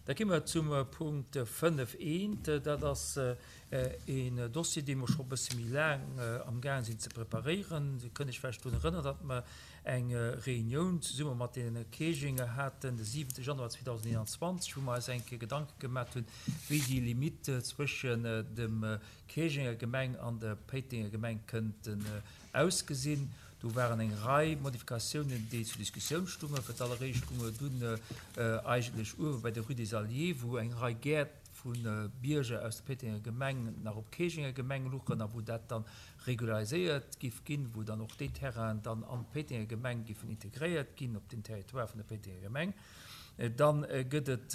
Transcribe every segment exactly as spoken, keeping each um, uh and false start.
Da gi mer zum Punkt fënnef eent. Dat ass een Dossier, dee mer scho e bësse méi laang amgaang sinn ze preparéieren. Dir kënnt Iech vläicht drun erënnern, datt mer eng Reunioun zesumme mat deene Käerjenger haten de siwente Januar zweedausendeenanzwanzeg, wou mer eis eng Kéier Gedanke gemaat hunn, wéi déi Limite zwëschen dem Käerjenger Gemeng an der Péitenger Gemeng kënnten ausgesinn. Do waren eng Rei Modifikatiounen, déi zur Diskussioun stungen. Fir d'alleréischt gung et dunn eigentlech uewe bei der Rue des Alliés, wou eng Rei Gäert vu Bierger aus der Péitenger Gemeng nach op Käerjenger Gemeng luchen a wou dat dann regulariséiert giff ginn, wou dann och déi Terrainen dann an d'Péitenger Gemeng giffen integréiert ginn op den Territoire vun der Péitenger Gemeng. Dann gëtt et,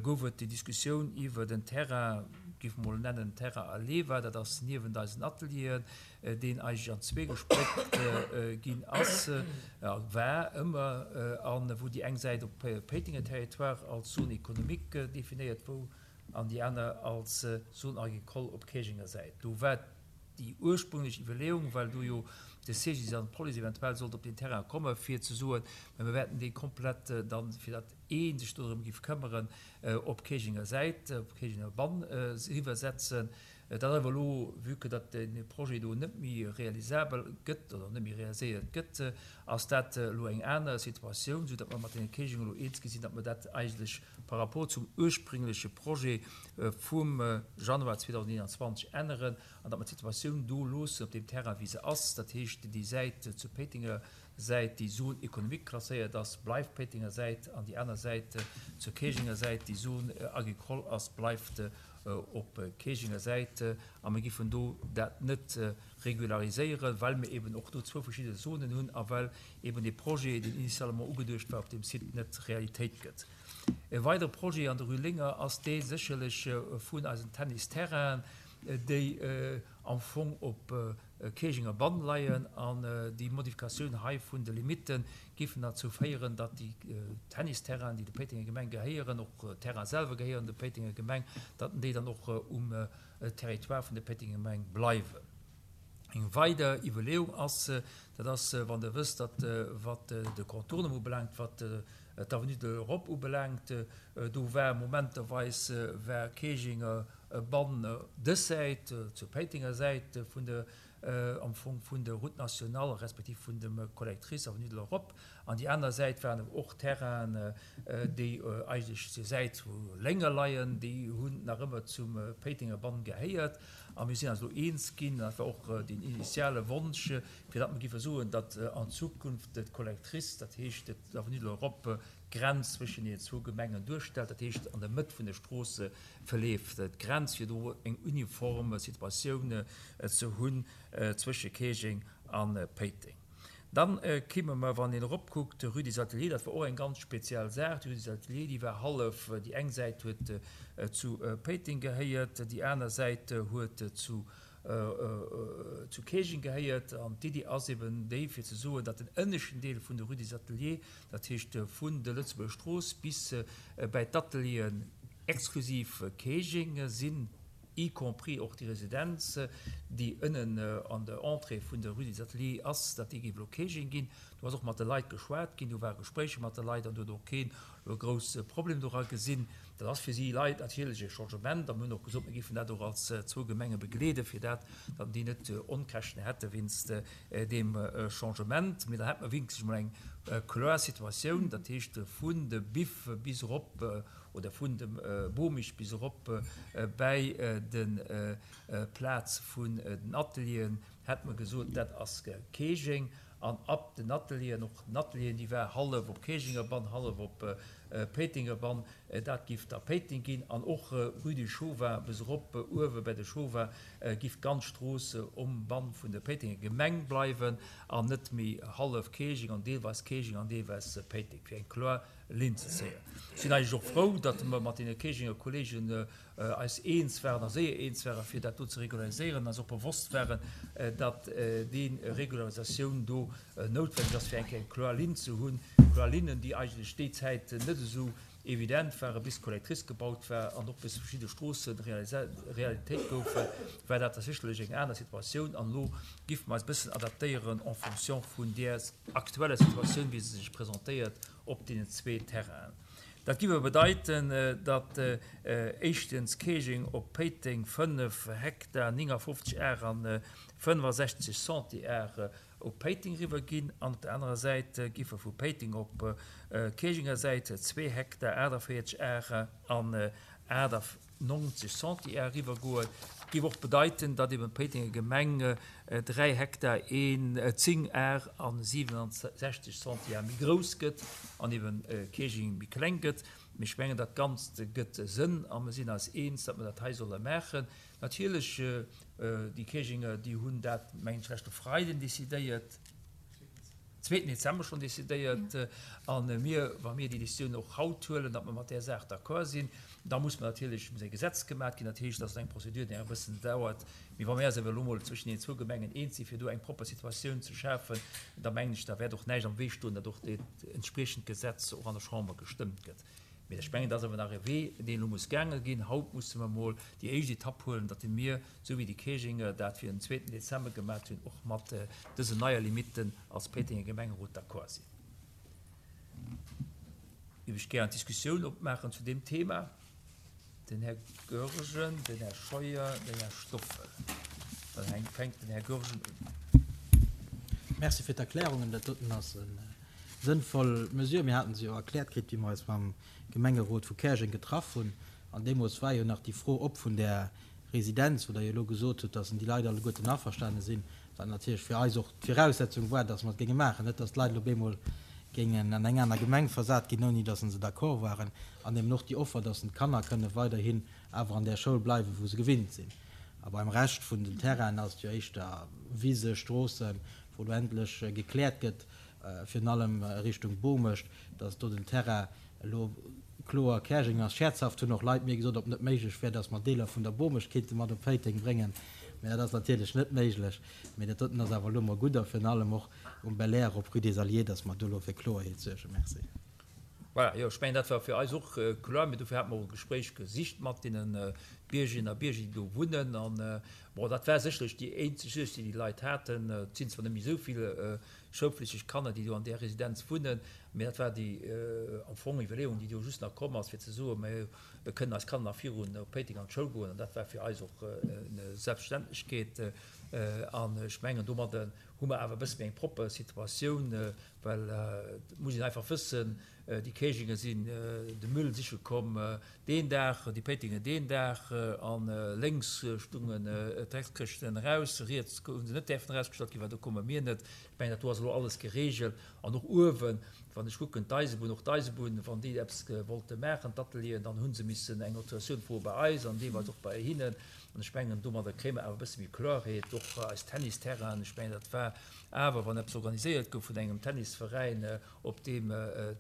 gouf et déi Diskussioun iwwer den Terrain, giff mol nennen Terrain Aleva, dat ass niewent eisen Atelieren, deen eigentlech an zwee gespléckt ginn ass, war ëmmer, an wou déi eng Säit op Péitenger Territoire als Zone économique definéiert wou an déi aner als Zone agricole op Käerjenger Säit. Do war déi ursprünglech Iwwerleeung, well do jo de C G I S an d'Police eventuell sollt op den Terrain kommen, fir ze soen, mä mir wäerten dee komplett dann, fir datt ee sech do drëm giff këmmeren, op Käerjenger Säit, op Käerjenger Bann eriwwersetzen. Dat awer elo, vue que datt de Projet do net méi realisabel gëtt oder net méi realiséiert gëtt, ass dat elo eng aner Situatioun, soudatt mer mat deene Käerjenger elo eens gi sinn, datt mer dat eigentlech par rapport zum ursprüngleche Projet vum Januar zweedausendeenanzwanzeg änneren an datt mer d'Situatioun do loossen op deem Terrain, wéi se ass. Dat heescht, déi Säit zur Péitenger Säit, déi Zone économique klasséiert ass, bleift Péitenger Säit, an déi aner Säit zur Käerjenger Säit, déi Zone agricole ass, bleift op Käerjenger Säit. A mir giffen do dat net regulariséieren, well mir eben och do zwou verschidde Zonen hunn a well eben dee Projet, deen initialement ugeduecht war, op deem Site net Realitéit gëtt. E weidere Projet an der Rue Linger ass dee sécherlech vun eisen Tennisterrainen, déi am Fong op Käerjenger Bann leien, an déi Modifikatioun hei vun de Limite giffen derzou féieren, datt déi Tennisterrainen, déi der Péitenger Gemeng gehéieren, och d'Terraine selwer gehéieren der Péitenger Gemeng, datt déi dann och um Territoire vun der Péitenger Gemeng bleiwen. Eng weider Iwwerleeung ass, dat ass, wann Der wësst, datt wat de Contournement ubelaangt, wat d'Avenue de l'Europe ubelaangt, do war momenterweis war Käerjenger Bann dës Säit, zur Péitenger Säit vun der, am Fong vun der Route nationale respektiv vun dem Collectrice Avenue de l'Europe, an déi aner Säit waren awer och Terrainen, déi eigentlech zur Säit wou Lénger leien, déi hunn nach ëmmer zum Péitenger Bann gehéiert. A mir sinn eis elo eens ginn, dat war och deen initiale Wonsch, fir datt mer géife soen, datt an Zukunft d'Collectrice, dat heescht d'Avenue de l'Europe, d'Grenz zwëschen deenen zwou Gemengen duerstellt, dat heescht an der Mëtt vun der Strooss verleeft d'Grenz, fir do eng uniform Situatioun ze hunn zwësche Käerjeng a Péiteng. Dann kimme mer, wann een eropkuckt, Rue des Ateliers, dat war och eng ganz speziell Saach. D'Rue des Ateliers, déi war hallef, déi eng Säit huet zu Péiteng gehéiert, déi aner Säit huet zu zu Käerjeng gehéiert. An d'Iddi ass eben déi, fir ze soen, datt den ënneschten Deel vun der Rue des Ateliers, dat heescht vun der Lëtzebuerger Strooss bis bäi d'Atelieren, exklusiv Käerjeng sinn, y compris och déi Residenz, déi ënnen an der Entrée vun der Rue des Ateliers ass, datt déi géif elo Käerjeng ginn. Do ass och mat de Leit geschwat ginn, do ware Gespréicher mat de Leit an do huet och keen elo e grousse Problem dora gesinn. Dat ass fir si Leit natierlech e Changement a mir hunn och gesot, mir géifen dat och als zwou Gemenge begleeden, fir dat, datt déi net Onkäschten hätte wéinst deem Changement. Mee dann hätte mer wierklech emol eng kloer Situatioun, dat heescht vun de Biff bis erop oder vun dem Bomich bis erop bäi de Plaz vun den Atelieren, hätte mer gesot, dat ass Käerjeng. An ab den Atelieren, och den Atelieren, déi war hallef op Käerjenger Bann, hallef op Péitenger Bann, dat giff da Péiteng ginn. An och Rue du Chauvin bis erop uewe bäi de Chauvin giff d'ganz Strooss um Bann vun der Péitenger Gemeng bleiwen an net méi hallef Käerjeng an deelweis Käerjeng an deelweis Péiteng, fir eng kloer Linn ze zéien. Ech sinn eigentlech och frou, datt mer mat deene Käerjenger Kollegen eis eens waren a séier eens waren, fir dat do ze regulariséieren, eis och bewosst waren, datt déi Regularisatioun do noutwenneg ass, fir eng Kéier eng kloer Linn ze hunn, kloer Linnen, déi eigentlech déi Zäit net esou evident waren, bis d'Collectrice gebaut war an och bis verschidde Stroosse Realitéit goufen, war dat sécherlech eng aner Situatioun. An elo géife mer eis e bëssen adaptéieren en fonction vun där aktueller Situatioun, wéi se sech presentéiert op deenen zwee Terrainen. Dat giff awer bedeiten, datt éischtens Käerjeng op Péiteng fënnef Hektar néngafofzeg Ar an fënnefasechzeg Centiar op Péiteng eriwwer ginn an op der anerer Säit giffe vu Péiteng op Käerjenger Säit zwee Hektar aachtavéierzeg Ar an achtannonzeg Centiar eriwwer goen. Giff och bedeiten, datt eben d'Péitenger Gemeng dräi Hektar een zéng Ar an siwenundsechzeg Centiar méi grouss gëtt an eben Käerjeng méi kleng gëtt. Mee ech mengen, dat Ganzt gëtt Sënn a mer sinn eis eens, datt mer dat hei solle maachen. Natierlech, déi Käerjenger, déi hunn dat, mengen ech, leschte Freiden decidéiert. Zweeten Dezember schonn decidéiert. A mir, wa mir déi Décisioun och haut huelen, datt mer mat där Saach d'accord sinn, da muss mer natierlech, muss e Gesetz gemaat ginn. Dat heescht, dat ass eng Prozedur, déi nach e bëssen dauert. Mee wa mir eis awer elo emol zwëschen deenen zwou Gemengen eens sinn, fir do eng propper Situatioun ze schafen, da mengen ech, da wäert och näischt am Wee stoen, datt och dat entspriechend Gesetz och an der Chamber gestëmmt gëtt. Mee ech mengen, dat ass awer nach e Wee, deen elo muss gaange ginn. Haut musse mer emol déi éischt Etapp huelen, datt mir, esou wéi déi Käerjenger dat fir den zweeten Dezember gemat hunn, och mat dësen neie Limitten als Péitenger Gemengerot d'accord sinn. Géif ech gär eng Diskussioun opmaachen zu deem Thema. Den Här Goergen, den Här Scheuer, den Här Stoffel. Dann fänkt den Här Goergen un. Merci fir d'Erklärungen. Dat doten ass e Sënnvoll Mesure. Mir haten se jo erkläert kritt, wéi mer eis mam Gemengerot vu Käerjeng getraff hunn. An deemools war jo nach déi Fro op vun där Residenz, wou Der jo elo gesot hutt, dass déi Leit alleguerten averstane sinn, wat natierlech fir eis och d'Viraussetzung war, dass mer et géinge maachen, net dass d'Leit elo op eemol géingen an eng aner Gemeng versat ginn, ouni dass se d'accord waren. An eben och déi Offer, dass d'Kanner kënne weiderhin awer an där Schoul bleiwen, wou se gewinnt sinn. A beim Rescht vun den Terrainen ass et jo éischter Wise, Stroossen, wou elo endlech gekläert gëtt, virun allem Richtung Bomecht, dass do den Terrain elo kloer Käerjeng ass. Scherzhaft hunn och Leit mir gesot, ob net méiglech wär, dass mer Deeler vun der Bomecht kéinte mat op Péiteng bréngen. Mä dat ass natierlech net méiglech. Mä dat doten ass awer elo mol gutt a virun allem och um Belair op Rue des Alliés, dass mer do elo fir Kloerheet suergen. Merci. Voilà, jo, ech mengen, dat war fir eis och kloer. Mee dofir hate mer och e Gespréich gesicht mat deene Biergerinnen a Bierger, déi do wunnen. An, bon, dat war sécherlech déi eenzeg Suerg, déi déi Leit haten. Et sinn zwar net méi esou vill schoulflichteg Kanner, déi do an där Residenz wunnen, mee dat war déi am Fong Iwwerleeung, déi do just nach komm ass, fir ze soen, Mir kënnen eis Kanner nach virun op Péiteng an d'Schoul goen. An dat war fir eis och eng Selbstverständlechkeet. An ech mengen, domadder hu mer awer e bësse méi eng propper Situatioun, well et muss een einfach wëssen, Déi Käerjenger sinn de Müll siche komm deen Dag, déi Péitenger deen Dag, a lénks stungen d'Dreckskëschten eraus, riets hu se net däerfen erausgestallt ginn, well do komme mir net. Ech mengen, dat do ass elo alles geregelt. An och uewen, wann ech kucken, d'Eisebunn, och d'Eisebunn, wann déi eppes wollte maachen, d'Atelieren, dann hu se missen eng Autorisatioun froe bei eis an deelweis och bei hinnen. An ech mengen, domadder kréie mer awer e bësse méi Kloerheet. Och eis Tennisterrainen, ech mengen, dat war awer, wann eppes organiséiert gouf vun engem Tennisveräin, op deem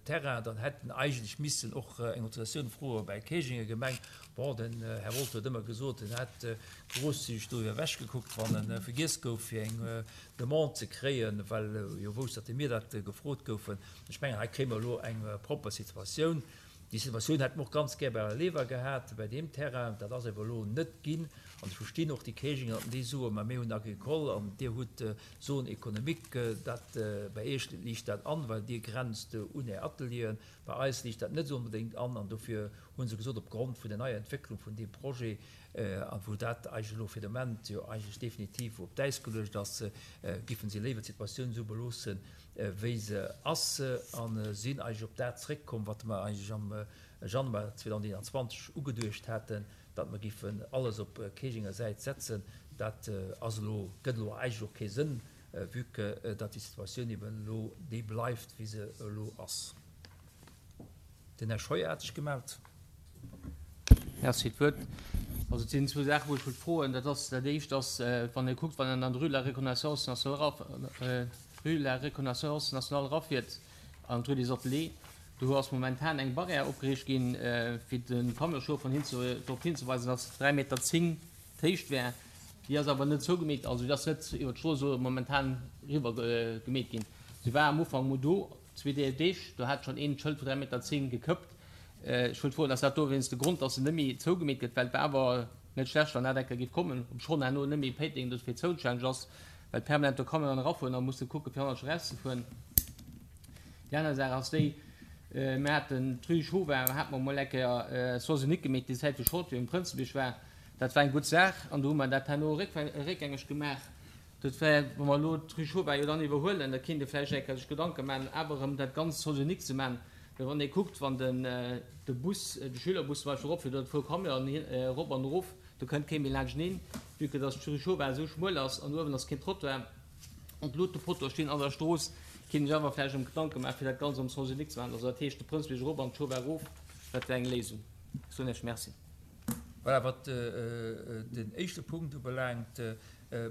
Terrain, dann hätt en eigentlech missen och eng Autorisatioun froe bäi Käerjenger Gemeng. Bon, den Här Wolter huet ëmmer gesot, en hätt grosszügeg doriwwer ewechgekuckt, wann e vergiess gouf, fir eng Demande ze kréien, well e jo wousst, datt mir dat gefrot goufen. Ech mengen, hei kréie mer elo eng propper Situatioun. Déi Situatioun hätte mer och ganz gär bei Aleva gehat, bei deem Terrain. Dat ass awer elo net ginn. An ech verstinn och déi Käerjenger, datt déi soen, ma mir hunn Agricole an Dir hutt Zone économique. Dat, bei Iech liicht dat an, well Dir grenzt un Är Atelieren. Bei eis liicht dat net esou onbedéngt an. An dofir hu se gesot, opgrond vun der neier Entwécklung vun deem Projet, a wou dat eigentlech elo fir de Moment jo eigentlech definitiv op d'Äis geluecht ass, giffen si léiwer d'Situatioun esou beloossen, wéi se ass, a sinn eigentlech op dat zréckkomm, wat mer eigentlech am Januar zweedausendeenanzwanzeg ugeduecht haten, datt mer giffen alles op Käerjenger Säit setzen. Dat ass elo, gëtt elo eigentlech och kee Sënn, vue que datt déi Situatioun eben elo déi bleift, wéi se elo ass. Den Här Scheuer hat sech gemellt. Merci fir d'Wuert. Also et sinn zwou Saachen, wou ech wollt froen. Dat ass, dat éischt ass, wann ee kuckt, wann een an d'Rue de la Reconnaissance nationale eraf, Rue de la Reconnaissance nationale erafiert an d'Rue des Ateliers, do ass momentan eng Barrière opgeriicht ginn, fir de Camionschauffer hinze, drop hinzeweisen, dass dräi Meter zéng d'Héicht wär. Déi ass awer net zougemeet, also déi ass net iwwer d'Strooss esou momentan eriwwer gemeet ginn. Se war am Ufank mol do, zwee Deeg, do hat schonn een d'Schëld vu dräi Meter zéng gekëppt. Ech wëllt froen, ass dat dowéinst de Grond, dass se net méi zougemeet gëtt, well et war awer net schlecht, wann dat eng Kéier géif kommen, obschonn herno net méi Péiteng dofir zoustänneg ass, well permanent do Camionen erafueren a musse kucke fir hannertsch erauszefueren. Déi aner Saach ass déi, Mir haten d'Rue Chauvin, hate mer emol eng Kéier Sens unique gemeet, déi Zäit wou Shortway um Prënzebierg war. Dat war eng gutt Saach an do hu mer dat herno réckgängeg gemaach. Dat wär, wa mer elo d'Rue Chauvin jo dann iwwerhuelen, da kéint ee vläicht eng Kéier sech Gedanke maachen, awer erëm dat Ganzt Sens unique ze maachen. Well wann ee kuckt, wann den de Bus, de Schülerbus zum Beispill eropfiert oder zwou Camionen erop an erof, do kënnt kee méi laanschteneen, vue que dass d'Rue Chauvin esou schmuel ass an uewen ass keen Trottoir an d'Luutepoteau stinn an der Strooss. Kéint ech awer vläicht em Gedanke maachen, fir dat Ganzt am Sens unique ze maachen, also dat heescht de Prënzbierg erop an d'Schof erof, dat wär eng Léisung. Ech soen Iech Merci. Voilà, wat den éischte Punkt ubelaangt,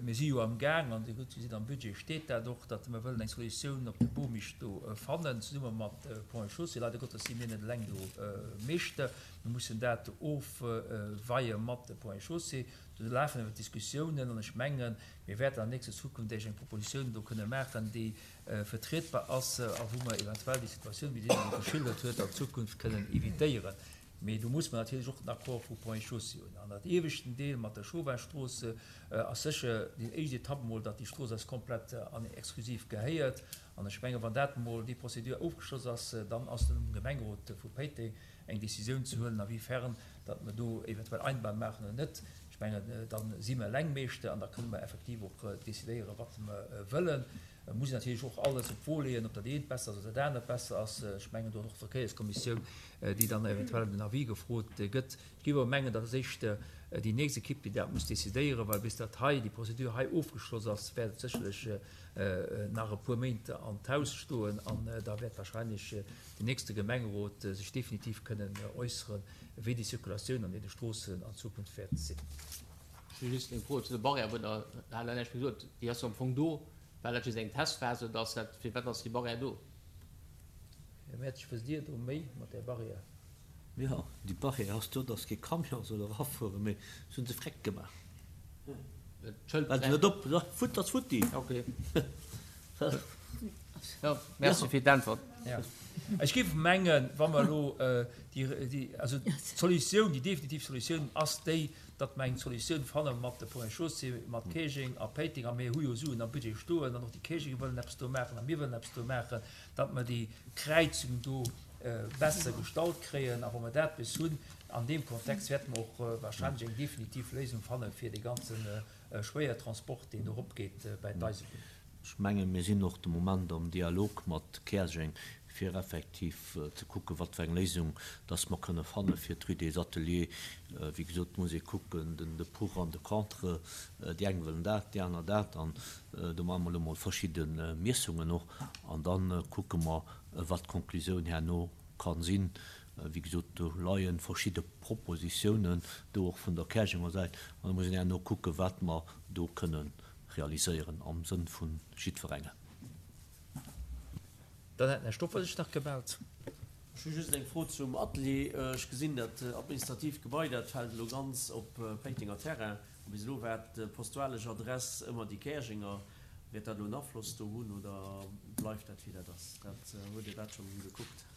mir si jo am Gaang, an Dir hutt gesinn, am Budget steet dat och, datt mer wëllen eng Solutioun op de Bomisch do fannen, zesumme mat Ponts et Chaussées. Leider Gottes si mir net eleng do Meeschter. Mir mussen dat ofweie mat de Ponts et Chaussées. Do lafen awer d'Diskussiounen an ech mengen, mir wäerten an nächster Zukunft Iech eng Propositioun do kënne maachen, déi vertrietbar ass a wou mer eventuell déi Situatioun, wéi Dir se elo geschildert huet, an Zukunft kënnen évitéieren. Mee do muss mer natierlech och den Accord vu Ponts et Chaussées hunn. An dat ieweschten Deel mat der Chauvin-Strooss ass sécher déi éischt Etapp emol, datt déi Strooss eis komplett an exklusiv gehéiert. An ech mengen, wann dat emol, déi Procédure ofgeschloss ass, dann ass et um Gemengerot vu Péiteng, eng Décisioun ze huelen, a wéi fern datt mer do eventuell Einbahn maachen oder net. Ech mengen, da si mer eleng Meeschter an da kënne mer effektiv och decidéieren, wat mer wëllen. Et muss een natierlech och alles op d'Wo leeën, ob dat eent besser ass oder dat anert besser ass. Ech mengen, do ass och d'Verkéierskommissioun, déi dann eventuell ëm den Avis gefrot gëtt. Ech géif awer mengen, dat ass éischter déi nächst Ekipp, déi dat muss decidéieren, well bis dat hei, déi Procédure hei ofgeschloss ass, wäert et sécherlech nach e puer Méint an d'Haus stoen an da wäert wahrscheinlech den nächste Gemengerot sech definitiv kënnen äusseren, wéi déi Circulatioun an deene Stroossen an Zukunft wäert sinn. Ech hu just eng Fro zu der Barrière, wou Der hat Der näischt méi gesot. Déi ass jo am Fong do. War dat just eng Testphas oder ass dat, firwat ass déi Barrière do? Här Mertsch, wësst Dir do méi mat där Barrière? Jo, déi Barrière ass do, dass kee Camion soll erafueren, mee se hu se freck gemaach. D'Schëld Well se net op, futt ass futti. Ok. Jo, merci fir d'Äntwert. Jo. Ech géif mengen, wa mer elo déi, déi, also d'Solutioun, déi definitiv Solutioun ass déi, datt mer eng Solutioun fanne mat de Ponts et Chaussées, mat Käerjeng a Péiteng, a mir hu jo Suen am Budget stoen, an och déi Käerjenger wëllen eppes do maachen a mir wëllen eppes do maachen, datt mer déi Kräizung do besser gestallt kréien. A wa mer dat bis hunn, an deem Kontext wäerte mer och wahrscheinlech eng definitiv Léisung fanne fir dee ganze Schwéiertransport, deen do eropgeet bäi d'Eisebunn. Ech mengen, mir sinn och de Moment am Dialog mat Käerjeng, fir effektiv ze kucken, wat fir eng Léisung dass mer kënne fanne fir d'Rue des Ateliers. Wéi gesot, et muss ee kucken, den de Pour an de Contre. Déi eng wëllen dat, déi aner dat. An do maache mer elo mol verschidde Miessungen och. An da kucke mer, wat d'Konklusioun herno ka sinn. Wéi gesot, do leie verschidde Propositiounen do och vun der Käerjenger Säit. An da muss een herno kucken, wat mer do kënne realiséieren am Sënn vu jiddwerengem. Dann hätt den Här Stoffer sech nach gemellt. Ech hu just eng Fro zum Atelier. Ech gesinn, dat administratiivt Gebai, dat fält elo ganz op Péitenger Terrain. A bis elo war d'postalesch Adress ëmmer déi Käerjenger. Wäert dat elo en Afloss do hunn oder bleift dat wéi dat ass? Dat, hutt Dir dat schonn gekuckt?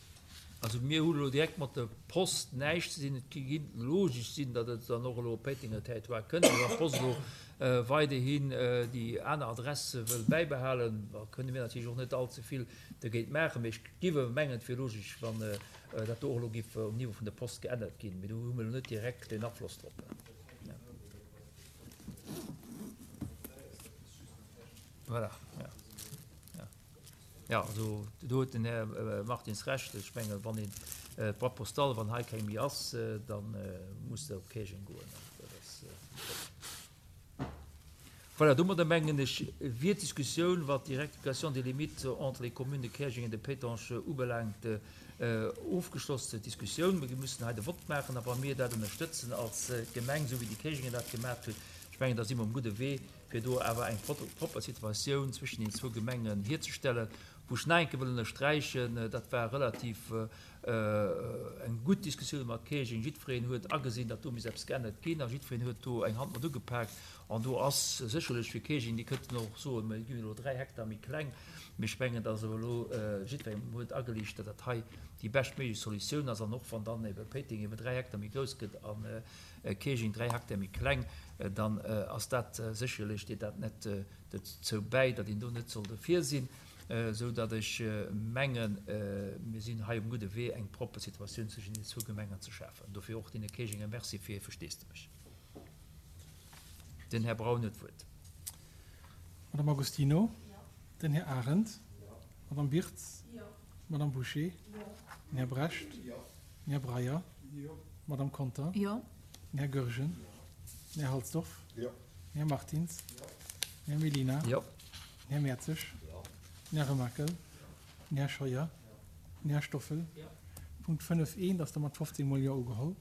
Also mir hu elo direkt mat der Post näischt ze dinn. Et géing logesch sinn, datt et dann och elo op Péitenger Territoire kënnt. Wann d'Post elo weiderhin déi aner Adress wëll bäibehalen, da kënne mir natierlech och net all ze vill dergéint maachen. Mee ech géif awer mengen, et wier logesch, wann dat do och elo géif um Niveau vun der Post geännert ginn. Mee do hu mir elo net direkt en Afloss drop. Voilà, jo. Jo, also do huet den Här Martins Recht. Ech mengen, wann een d'Boîte postale, wann hei keng méi ass, da muss se op Käerjeng goen. Dat ass. Voilà, domadder mengen ech, wier d'Diskussioun, wat déi Rectification des limites entre les communes de Käerjeng et de Pétange ubelaangt, ofgeschloss. D'Diskussioun, mir mussen hei de Vott maachen, a wa mir dat ënnerstëtzen als Gemeng, esou wéi déi Käerjenger dat gemaach hunn, ech mengen, da si mer um gudde Wee, fir do awer eng propper Situatioun zwëschen den zwou Gemengen hierzestellen, wou ech nach eng Kéier wëll ënnersträichen, dat war relativ eng gutt Diskussioun mat Käerjeng, jiddwereen huet agesinn, datt do misst eppes geännert ginn a jiddwereen huet do eng Hand mat ugepaakt. An do ass sécherlech fir Käerjeng, déi kënnten och soen, mir ginn elo dräi Hektar méi kleng, mee ech mengen, datt awer elo jiddwerengem huet ageliicht, datt dat hei déi beschtméiglech Solutioun ass. An och wann dann ebe Péiteng ebe dräi Hektar méi grouss gëtt a Käerjeng dräi Hektar méi kleng, dann ass dat sécherlech, deet dat net dozou bäi, datt een do net soll dofir sinn. esou datt ech mengen, mir sinn hei um gudde Wee, eng propper Situatioun zwëschen deenen zwou Gemengen ze schafen. Dofir och deene Käerjenger Merci fir hir Versteesdemech. Den Här Braun huet d'Wuert. Madame Agostino, den Här Arendt, Madame Birtz, Madame Bouché, den Här Brecht, den Här Breyer, Madame Conter, den Här Goergen, den Här Halsdorf, den Här Martins, den Här Mellina, den Här Mertzig, den Här Remakel, den Här Scheuer, den Här Stoffel. Punkt fënnef eent ass da mat fofzéng mol Jo ugeholl.